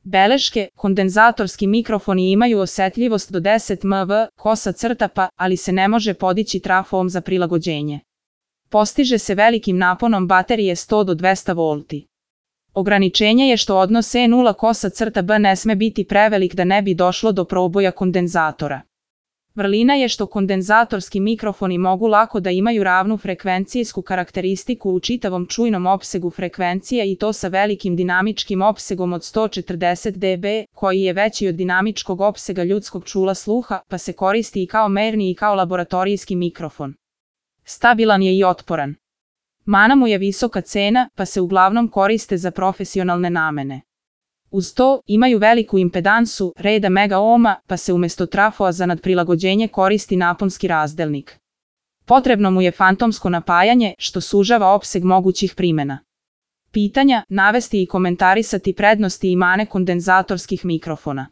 Beleške, kondenzatorski mikrofoni imaju osetljivost do 10 mV, ali se ne može podići trafom za prilagođenje. Postiže se velikim naponom baterije 100 do 200 V. Ograničenje je što odnos E0:B ne sme biti prevelik da ne bi došlo do proboja kondenzatora. Vrlina je što kondenzatorski mikrofoni mogu lako da imaju ravnu frekvencijsku karakteristiku u čitavom čujnom opsegu frekvencija i to sa velikim dinamičkim opsegom od 140 dB, koji je veći od dinamičkog opsega ljudskog čula sluha, pa se koristi i kao merni i kao laboratorijski mikrofon. Stabilan je i otporan. Mana mu je visoka cena, pa se uglavnom koriste za profesionalne namene. Uz to, imaju veliku impedansu, reda megaohma, pa se umjesto trafoa za nadprilagođenje koristi naponski razdelnik. Potrebno mu je fantomsko napajanje, što sužava opseg mogućih primjena. Pitanja, navesti i komentarisati prednosti i mane kondenzatorskih mikrofona.